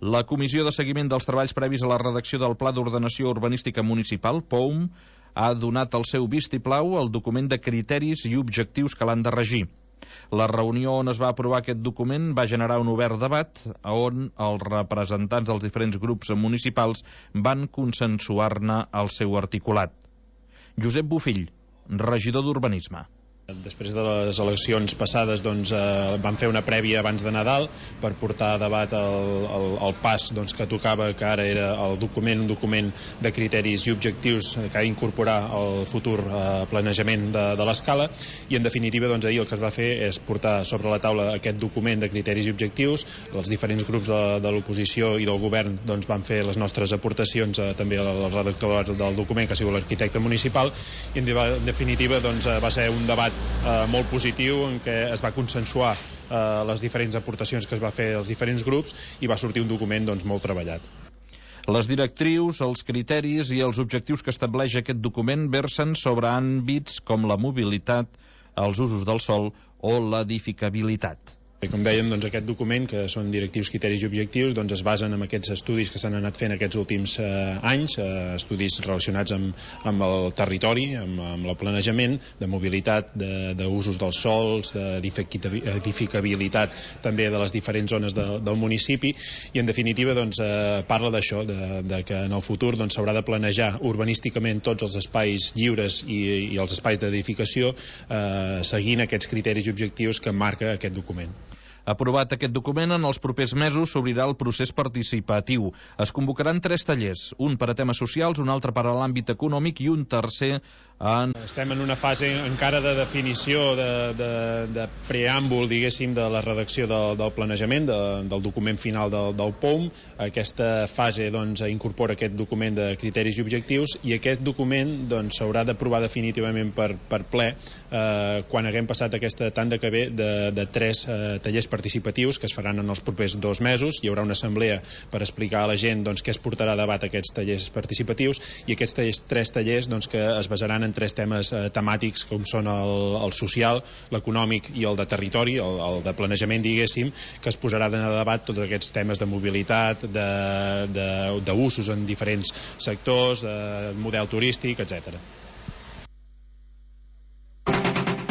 La Comissió de Seguiment dels Treballs previs a la redacció del Pla d'Ordenació Urbanística Municipal, POUM, ha donat el seu vistiplau al document de criteris i objectius que l'han de regir. La reunió on es va aprovar aquest document va generar un obert debat on els representants dels diferents grups municipals van consensuar-ne el seu articulat. Josep Bofill, regidor d'Urbanisme. Després de les eleccions passades vam fer una prèvia abans de Nadal per portar a debat el pas que tocava, que ara era un document de criteris i objectius que ha d'incorporar el futur planejament de l'escala, i en definitiva ahir el que es va fer és portar sobre la taula aquest document de criteris i objectius. Els diferents grups de l'oposició i del govern van fer les nostres aportacions, també al redactor del document, que ha sigut l'arquitecte municipal, i en definitiva va ser un debat molt positiu en què es va consensuar les diferents aportacions que es va fer als diferents grups i va sortir un document molt treballat. Les directrius, els criteris i els objectius que estableix aquest document versen sobre àmbits com la mobilitat, els usos del sòl o l'edificabilitat. Com dèiem, aquest document, que són directius, criteris i objectius, es basen en aquests estudis que s'han anat fent aquests últims anys, estudis relacionats amb el territori, amb el planejament, de mobilitat, d'usos dels sòls, d'edificabilitat també de les diferents zones del municipi, i en definitiva parla d'això, que en el futur s'haurà de planejar urbanísticament tots els espais lliures i els espais d'edificació seguint aquests criteris i objectius que marca aquest document. Aprovat aquest document, en els propers mesos s'obrirà el procés participatiu. Es convocaran 3 tallers, un per a temes socials, un altre per a l'àmbit econòmic i un tercer en... Estem en una fase encara de definició, de preàmbul, diguéssim, de la redacció del planejament, del document final del POUM. Aquesta fase incorpora aquest document de criteris i objectius, i aquest document s'haurà d'aprovar definitivament per ple quan haguem passat aquesta tanda que ve de 3 tallers participatius que es faran en els propers 2 mesos. Hi haurà una assemblea per explicar a la gent què es portarà a debat aquests tallers participatius, i aquests 3 tallers que es basaran en 3 temes temàtics, com són el social, l'econòmic i el de territori, el de planejament, diguéssim, que es posarà a debat tots aquests temes de mobilitat, d'usos en diferents sectors, model turístic, etc.